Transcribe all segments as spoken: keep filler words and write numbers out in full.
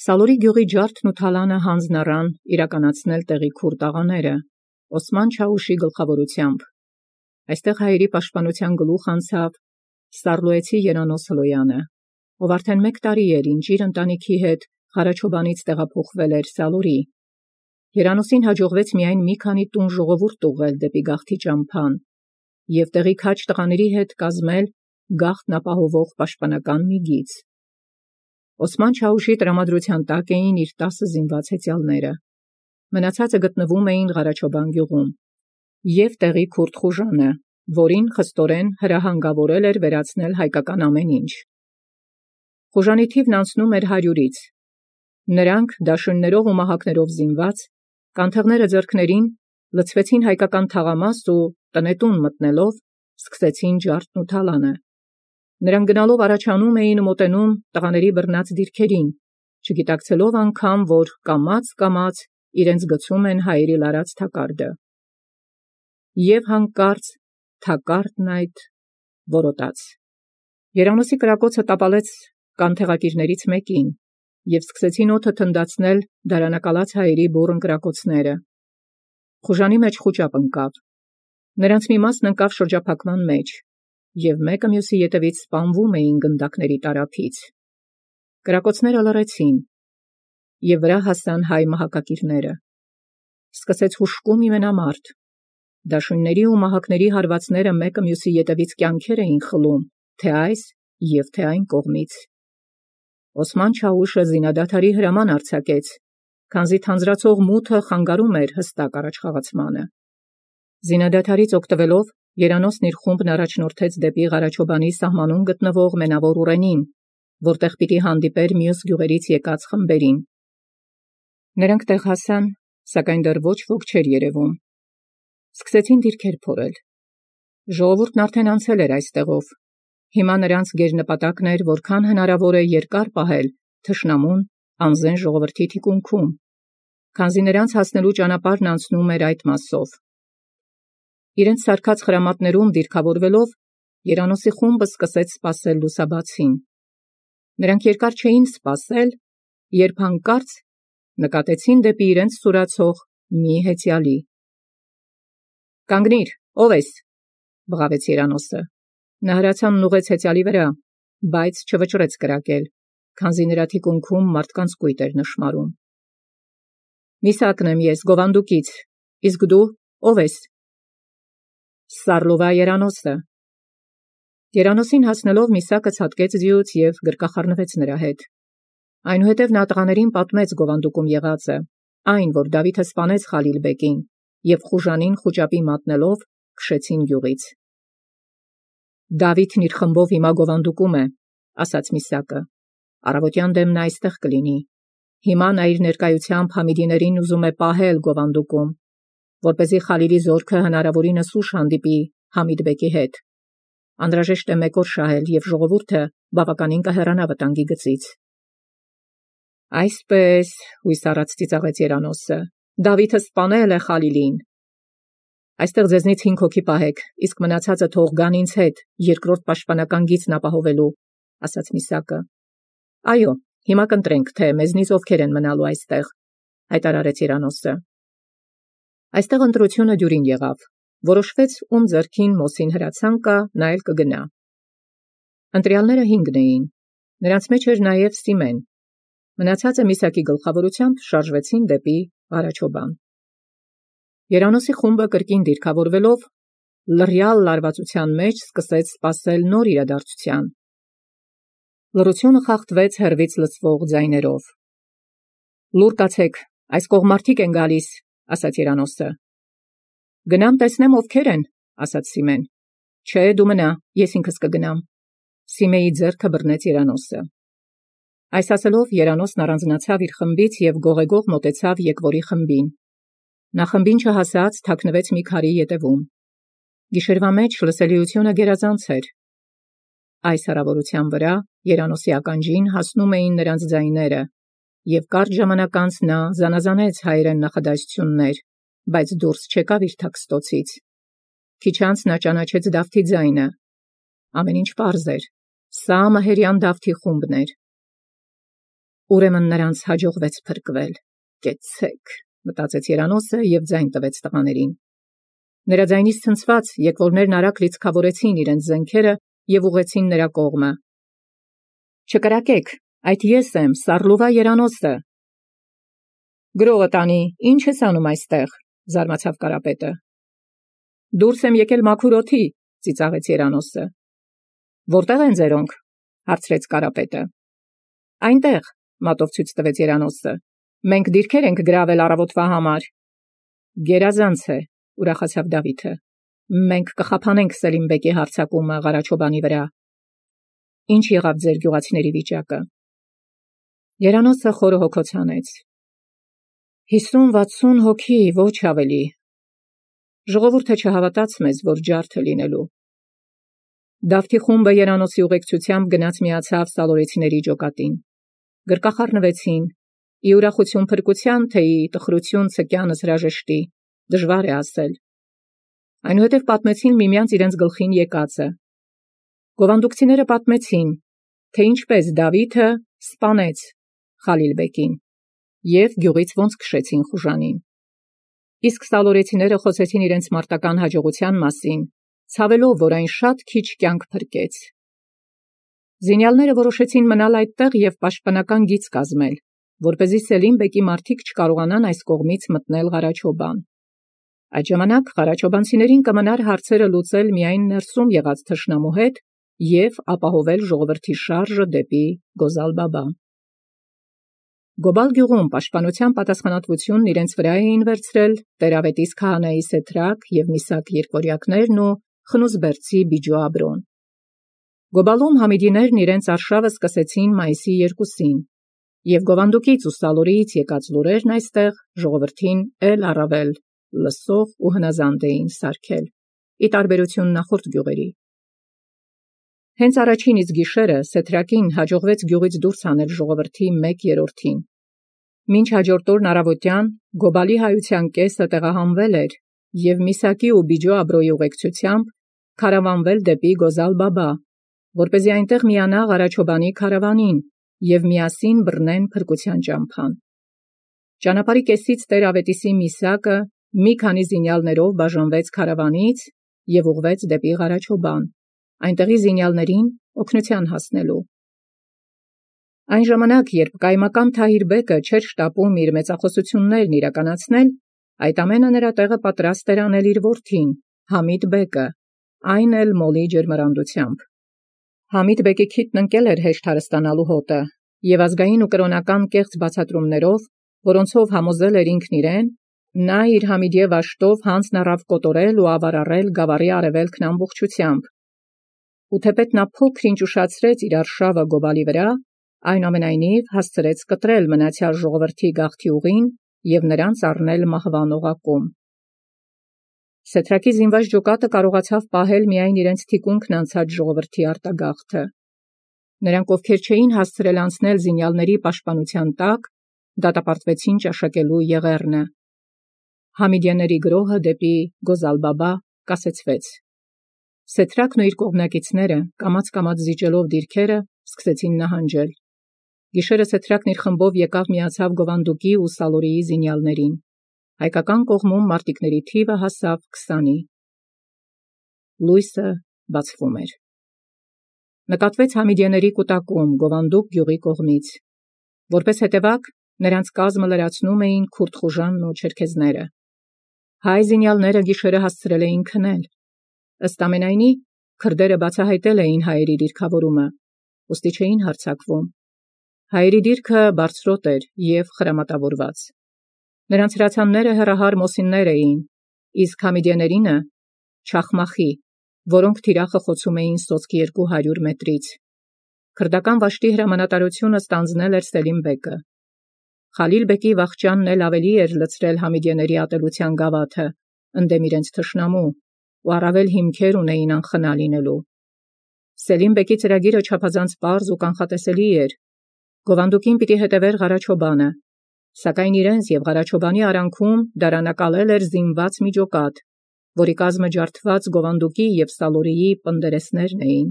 Սալորի գյուղի ջարդն ու թալանը հանձն առան իրականացնել տեղի քուր տաղաները, Օսման Չաուշի գլխավորությամբ։ Այստեղ հայերի պաշտպանության գլուխ անցավ Սարլոյեցի Երանոս Հլոյանը, ով արդեն մեկ տարի էր ինչ իր ընտանիքի հետ Ղարաչոբանից տեղափոխվել էր Սալորի։ Երանոսին հաջողվեց միայն մի քանի տուն ժողովուրդ ուղղել դեպի գաղթի ճամփան և տեղի քաջ տղաների հետ կազմել գաղթն ապահովող պաշտպանական մի գիծ։ Օսման Չաուշի տրամադրության տակ էին իր տասը զինված հեծյալները։ Մնացածը գտնվում էին Ղարաչոբան գյուղում, և տեղի քուրդ խուժանը, որին խստորեն հրահանգավորել էր վերացնել հայկական ամեն ինչ։ Խուժանի թիվն անցնում էր հարյուրից։ Նրանք դաշույններով ու մահակներով զինված, կանթեղները ձեռքներին, լցվեցին հայկական թաղամաս ու տնետուն մտնելով սկսեցին ջարդն ու թալանը։ Նրանք գնալով առաջանում էին ու մոտենում տղաների բռնած դիրքերին, չգիտակցելով անգամ, որ կամաց-կամաց իրենց գցում են հայերի լարած թակարդը։ Եվ հանկարծ թակարդն այդ որոտաց։ Երանոսի կրակոցը տապալեց կանթեղակիրներից մեկին, և սկսեցին օդը թնդացնել դարանակալած հայերի բուռն կրակոցները։ Խուժանի մեջ խուճապ ընկավ։ Նրանց մի մասն ընկավ շրջափակման մեջ, և մեկը մյուսի ետևից սպանվում էին գնդակների տարափից։ Կրակոցները լռեցին, և վրա հասան հայ մահակակիրները։ Սկսեց հուժկում իմենամարտ։ Դաշույնների ու մահակների հարվածները մեկը մյուսի ետևից կյանքեր էին խլում, թե այս և թե այն կողմից։ Օսման Չաուշը զինադադարի հրաման արձակեց, քանզի թանձրացող մութը խանգարում էր հստակ առաջխաղացմանը։ Զինադադարից օգտվելով Երանոսն իր խումբն առաջնորդեց դեպի Ղարաչոբանի սահմանում գտնվող Մենավոր ուռենին, որտեղ պիտի հանդիպեր մյուս գյուղերից եկած խմբերին։ Նրանք տեղ հասան, սակայն դեռ ոչ ոք չէր երևում։ Սկսեցին դիրքեր փորել։ Ժողովուրդն արդեն անցել էր այստեղով։ Հիմա նրանց գերնպատակն էր որքան հնարավոր է երկար պահել թշնամուն անզեն ժողովրդի թիկունքում, քանզի նրանց հասնելու ճանապարհն անցնում էր այդ մասով։ Իրենց սարքած խրամատներում դիրքավորվելով Երանոսի խումբը սկսեց սպասել լուսաբացին։ Նրանք երկար չէին սպասել, երբ հանկարծ նկատեցին դեպի իրենց սուրացող մի հեծյալի։ «Կանգնիր, ո՞վ ես», բղավեց Երանոսը։ Նա հրացանն ուղղեց հեծյալի վրա, բայց չվճռեց կրակել, քանզի նրա թիկունքում մարդկանց կույտ էր նշմարում։ «Միսակն եմ ես, Գովանդուկից, իսկ դու ո՞վ ես»։ «Սարլովա Երանոսը»։ Երանոսին հասնելով Միսակը ցատկեց ձիուց և գրկախառնվեց նրա հետ։ Այնուհետև նա տղաներին պատմեց Գովանդուկում եղածը, այն, որ Դավիթը սպանեց Խալիլ-բեկին, և խուժանին խուճապի մատնելով քշեցին գյուղից։ «Դավիթն իր խմբով հիմա Գովանդուկում է», ասաց Միսակը։ «Առավոտյան դեմ նա այստեղ կլինի։ Հիմա նա իր ներկայությամբ համիդիներին ուզում է պահել Գովանդուկում, որպեսզի Խալիլի զորքը հնարավորինս ուշ հանդիպի Համիդ-բեկի հետ։ Անհրաժեշտ է մեկ օր շահել, և ժողովուրդը բավականին կհեռանա վտանգի գծից»։ «Այսպես», հույս առած ծիծաղեց Երանոսը, «Դավիթը սպանել է Խալիլին»։ «Այստեղ ձեզնից հինգ հոգի պահեք, իսկ մնացածը թող գան ինձ հետ երկրորդ պաշտպանական գիծն ապահովելու», ասաց Միսակը։ «Այո, հիմա կընտրենք, թե մեզնից ովքեր են մնալու այստեղ», հայտարարեց Երանոսը։ Այստեղ ընտրությունը դյուրին եղավ։ Որոշվեց, ում ձեռքին Մոսին հրացան կա, նա էլ կգնա։ Ընտրյալները հինգն էին։ Նրանց մեջ էր նաև Սիմեն։ Մնացածը Միսակի գլխավորությամբ շարժվեցին դեպի Ղարաչոբան։ Երանոսի խումբը կրկին դիրքավորվելով լռյալ լարվածության մեջ սկսեց սպասել նոր իրադարձության։ Լռությունը խախտվեց հեռվից լսվող ձայներով։ «Լուր կացեք, այս կողմ մարդիկ են գալիս», ասաց Երանոսը։ «Գնամ տեսնեմ ովքեր են», ասաց Սիմեն։ «Չէ, դու մնա, ես ինքս կգնամ», Սիմեի ձեռքը բռնեց Երանոսը։ Այս ասելով Երանոսն առանձնացավ իր խմբից և գողեգող մոտեցավ եկվորի խմբին։ Նա խմբին չհասած թաքնվեց մի քարի ետևում։ Գիշերվա մեջ լսելիությունը գերազանց էր։ Այս հեռավորության վրա Երանոսի ականջին հասնում էին նրանց ձայները, և կարճ ժամանակ անց նա զանազանեց հայերեն նախադասություններ, բայց դուրս չեկավ իր թաքստոցից։ Քիչ անց նա ճանաչեց Դավթի ձայնը։ Ամեն ինչ պարզ էր։ Սա մահերյան Դավթի խումբն էր։ Ուրեմն նրանց հաջողվեց փրկվել։ Կեցեք, մտածեց Երանոսը եւ ձայն տվեց տղաներին։ Նրա ձայնից ցնցված եկվորներն արագ լիցքավորեցին իրենց զենքերը եւ ուղղեցին նրա կողմը։ Չկրակեք, այդ ես եմ, Սառլուվա Երանոսը։ Գրողը տանի, ինչ ես անում այստեղ, զարմացավ Կարապետը։ Դուրս եմ եկել մաքուր օդի, ծիծաղեց Երանոսը։ Որտեղ են ձերոնք, հարցրեց Կարապետը։ Այնտեղ, մատով ցույց տվեց Երանոսը։ Մենք դիրքեր ենք գրավել առավոտվա համար։ Գերազանց է, ուրախացավ Դավիթը։ Մենք կխափանենք Սելիմբեկի հարձակումը Ղարաչոբանի վրա։ Ինչ եղավ ձեր գյուղացիների վիճակը։ Երանոսը խորը հոգոց հանեց։ Հիսուն-վաթսուն հոգի, ոչ ավելի։ Ժողովուրդը չհավատաց մեզ, որ ջարդը լինելու։ Դավթի խումբը Երանոսի ուղեկցությամբ գնաց միացավ սալորեցիների ջոկատին։ Գրկախառնվեցին, ի ուրախություն փրկության, թե ի տխրություն ցկյանս հրաժեշտի, դժվար է ասել։ Այնուհետև պատմեցին միմյանց իրենց գլխին եկածը։ Գովանդուկցիները պատմեցին, թե ինչպես Դավիթը սպանեց Խալիլբեկին և գյուղից ոնց քշեցին խուժանին։ Իսկ սալորեցիները խոսեցին իրենց մարտական հաջողության մասին, ցավելով, որ այն շատ քիչ կյանք փրկեց։ Զինյալները որոշեցին մնալ այդտեղ և պաշտպանական գիծ կազմել, որպեսզի Սելիմբեկի մարդիկ չկարողանան այս կողմից մտնել Ղարաչոբան։ Այդ ժամանակ ղարաչոբանցիներին կմնար հարցերը լուծել միայն ներսում եղած թշնամու հետ և ապահովել ժողովրդի շարժը դեպի Գոզալ-Բաբա։ Գոբալ գյուղում պաշտպանության պատասխանատվությունն իրենց վրա էին վերցրել Տերավետիս քահանայի Սեթրակ և Միսակ երկորյակներն ու խնուսբերցի Բիջո Աբրոն։ Գոբալում համիդիներն իրենց արշավը սկսեցին մայիսի երկուսին, և Գովանդուկից ու Սալորիից եկած լուրերն այստեղ ժողովրդին էլ առավել լսող ու հնազանդ էին սարքել, ի տարբերություն նախորդ գյուղերի։ Հենց առաջին իսկ գիշերը Սեթրակին հաջողվեց գյուղից դուրս հանել ժողովրդի մեկ երրորդին։ Մինչ հաջորդ օրն առավոտյան Գոբալի հայության կեսը տեղահանվել էր և Միսակի ու Բիջո Աբրոյի ուղեկցությամբ քարավանվել դեպի Գոզալ-Բաբա, որպեսզի այնտեղ միանա Ղարաչոբանի քարավանին և միասին բռնեն փրկության ճամփան։ Ճանապարհի կեսից Տեր-Ավետիսի Միսակը մի քանի զինյալներով բաժանվեց քարավանից և ուղղվեց դեպի Ղարաչոբան, այնտեղի զինյալներին օգնության հասնելու։ Այն ժամանակ, երբ կայմական Թահիր-բեկը չէր շտապում իր մեծախոսություններն իրականացնել, այդ ամենը նրա տեղը պատրաստ էր անել իր որդին, Համիդ բեկը, այն էլ մոլի ջերմեռանդությամբ։ Համիդ բեկի քիթն ընկել էր հեշտ հարստանալու հոտը, և ազգային ու կրոնական կեղծ բացատրումներով, որոնցով համոզել էր ինքն իրեն, նա իր Համիդիե վաշտով հանձն առավ կոտորել ու ավարառել գավառի արևելքն ամբողջությամբ։ Ու թեպետ նա փոքր-ինչ ուշացրեց իր արշավը Գոբալի վրա, այնուամենայնիվ հասցրեց կտրել մնացյալ ժողովրդի գաղթի ուղին և նրանց առնել մահվան օղակում։ Սեթրակի զինված ջոկատը կարողացավ պահել միայն իրենց թիկունքն անցած ժողովրդի արտագաղթը։ Նրանք, ովքեր չէին հասցրել անցնել զինյալների պաշտպանության տակ, դատապարտվեցին ճաշակելու եղեռնը։ Համիդյանների գրոհը դեպի Գոզալ-Բաբա կասեցվեց։ Սեթրակն ու իր կողմնակիցները, կամաց-կամաց զիջելով դիրքերը, սկսեցին նահանջել։ Գիշերը Սեթրակն իր խմբով եկավ միացավ Գովանդուկի ու Սալորիի զինյալներին։ Հայկական կողմում մարտիկների թիվը հասավ քսանի։ Լույսը բացվում էր։ Նկատվեց համիդյաների կուտակում Գովանդուկ գյուղի կողմից։ Որպես հետևակ, նրանց կազմը լրացնում էին քուրդ խուժանն ու չերքեզները։ Հայ զինյալները գիշերը հասցրել էին քնել։ Ըստ ամենայնի, քրդերը բացահայտել էին հայերի դիրքավորումը, ուստի չէին հարձակվում։ Հայերի դիրքը բարձրոտ էր և խրամատավորված։ Նրանց հրացանները հեռահար մոսիններ էին, իսկ համիդյաներինը չախմախի, որոնք թիրախը խոցում էին սոսկ երկու հարյուր մետրից։ Քրդական վաշտի հրամանատարությունը ստանձնել էր Սելիմբեկը։ Խալիլբեկի վախճանն էլ ավելի էր լցրել համիդյաների ատելության գավաթը, ընդդեմ իրենց թշնամու, ու առավել հիմքեր ունեին անխնա լինելու։ Սելիմբեկի ծրագիրը չափազանց պարզ ու կանխատեսելի էր։ Գովանդուկին պիտի հետևեր Ղարաչոբանը, սակայն իրենց և Ղարաչոբանի արանքում դարանակալել էր զինված մի ջոկատ, որի կազմը ջարդված Գովանդուկի և Սալորիի պնդերեսներն էին։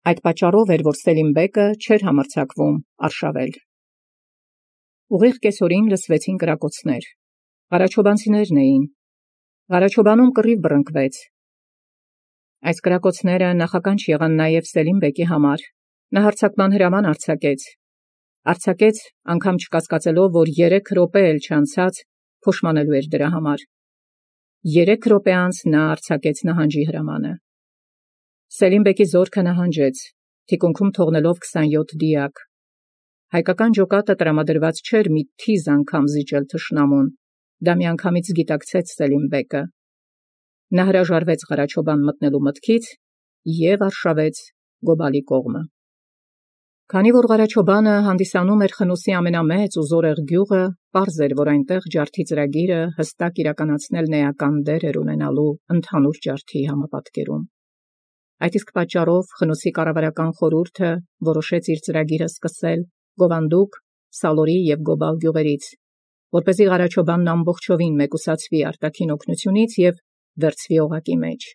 Այդ պատճառով էր, որ Սելիմբեկը չէր համարձակվում արշավել։ Ուղիղ կեսօրին լսվեցին կրակոցներ։ Ղարաչոբանցիներն էին։ Ղարաչոբանում կռիվ բռնկվեց։ Այս կրակոցները նախականչ եղան նաև Սելիմբեկի համար։ Նա հարձակման հրաման արձակեց։ Արձակեց, անգամ չկասկածելով, որ երեք րոպե էլ չանցած փոշմանելու էր դրա համար։ Երեք րոպե անց նա արձակեց նահանջի հրամանը։ Սելիմբեկի զորքը նահանջեց, թիկունքում թողնելով քսանյոթ դիակ։ Հայկական ջոկատը տրամադրված չէր մի թիզ անգամ զիջել թշնամուն, դա միանգամից գիտակցեց Սելիմբեկը։ Նա հրաժարվեց Ղարաչոբան մտնելու մտքից և արշավեց Գոբալի կողմը։ Քանի որ Ղարաչոբանը հանդիսանում էր Խնոսի ամենամեծ ու զորեղ գյուղը, պարզ էր, որ այնտեղ ջարդի ծրագիրը հստակ իրականացնելն էական դեր էր ունենալու ընդհանուր ջարդի համապատկերում։ Այդ իսկ պատճառով Խնոսի կառավարական խորհուրդը որոշեց իր ծրագիրը սկսել Գովանդուկ, Սալորի և Գոբալ գյուղերից, որպեսզի Ղարաչոբանն ամբողջովին մեկուսացվի արտաքին օգնությունից և վերցվի օղակի մեջ։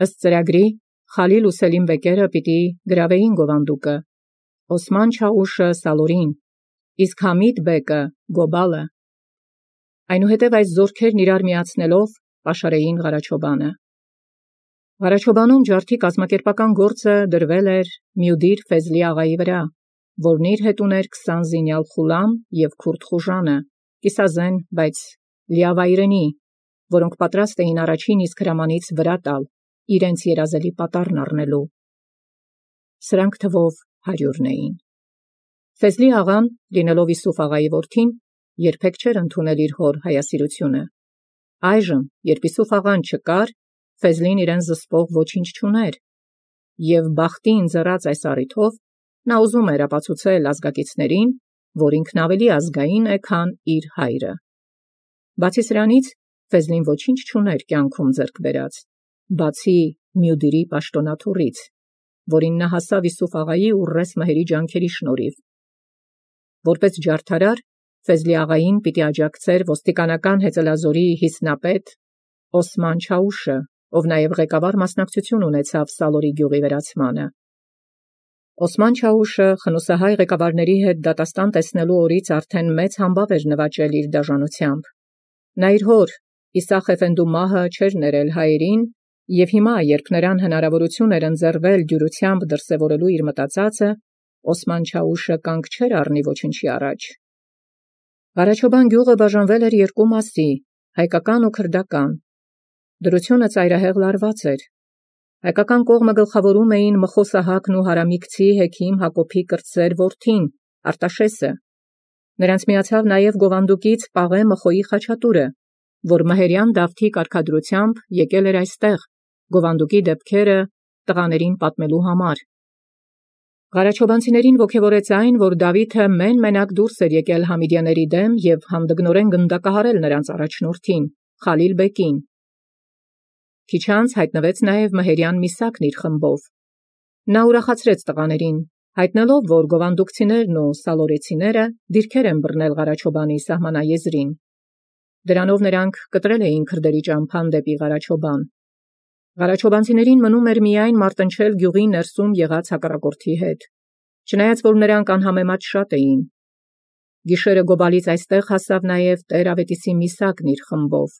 Ըստ ծրագրի, Խալիլ ու Սելիմբեկերը պիտի գրավեին Գովանդուկը, Օսման Չաուշը Սալորին, իսկ Համիդ բեկը Գոբալը։ Այնուհետև այս զորքերն իրար միացնելով պաշարեին Ղարաչոբանը։ Ղարաչոբանում ջարդի կազմակերպական գործը դրվել էր Մյուդիր Ֆեզլի աղայի վրա, որն իր հետ ուներ քսան զինյալ Խուլամ և Քուրդ Խուժանը, կիսազեն, բայց լիավայրենի, որոնք պատրաստ էին առաջին իսկ հրամանից վրա տալ, իրենց երազելի պատառն առնելու։ Սրանք թվով հարյուրն էին։ Ֆեզլի աղան, լինելով Իսուֆ աղայի որդին, երբեք չէր ընդունել իր հոր հայասիրությունը։ Այժմ, երբ Իսուֆ աղան չկար, Ֆեզլին իրեն զսպող ոչինչ չուներ, և բախտին ձեռած այս առիթով նա ուզում էր ապացուցել ազգակիցներին, որ ինքն ավելի ազգային է, քան իր հայրը։ Բացի սրանից, Ֆեզլին ոչինչ չուներ կյանքում ձեռք բերած, բացի Մյուդիրի պաշտոնաթոռից, որին նա հասավ Իսուֆ աղայի ու Ռես Մհերի ջանքերի շնորհիվ։ Որպես ջարդարար, Ֆեզլի աղային պիտի աջակցեր ոստիկանական հեծելազորի հիսնապետ Օսման Չաուշը, ով նաև ղեկավար մասնակցություն ունեցավ Սալորի գյուղի վերացմանը։ Օսման Չաուշը խնոսահայ ղեկավարների հետ դատաստան տեսնելու օրից արդեն մեծ համբավ էր նվաճել իր դաժանությամբ։ Նա իր հոր Իսախ Էֆենդու մահը չէր ներել հայերին, և հիմա, երբ նրան հնարավորություն էր ընձեռվել դյուրությամբ դրսևորելու իր մտածածը, Օսման Չաուշը կանգ չէր առնի ոչնչի առաջ։ Ղարաչոբան գյուղը բաժանվել էր երկու մասի՝ հայկական ու քրդական։ Դրությունը ծայրահեղ լարված էր։ Հայկական կողմը գլխավորում էին Մխոսահակն ու Հարամիկցի հեքիմ Հակոբի կրտսեր որդին, Արտաշեսը։ Նրանց միացավ նաև Գովանդուկից Պաղե Մխոյի խաչատուրը, որ մհերյան Դավթի կարգադրությամբ եկել էր այստեղ, Գովանդուկի դեպքերը տղաներին պատմելու համար։ Ղարաչոբանցիներին ոգևորեց այն, որ Դավիթը մեն-մենակ դուրս էր եկել համիդյանների դեմ և հանդգնորեն գնդակահարել նրանց առաջնորդին, Խալիլ բեկին։ Քիչ անց հայտնվեց նաև մհերյան Միսակն իր խմբով։ Նա ուրախացրեց տղաներին, հայտնելով, որ գովանդուկցիներն ու սալորեցիները դիրքեր են բռնել Ղարաչոբանի սահմանաեզրին։ Դրանով նրանք կտրել էին քրդերի ճամփան դեպի Ղարաչոբան։ Ղարաչոբանցիներին մնում էր միայն մարտնչել գյուղի ներսում եղած հակառակորդի հետ, չնայած որ նրանք անհամեմատ շատ էին։ Գիշերը Գոբալից այստեղ հասավ նաև Տեր Ավետիսի Միսակն իր խմբով։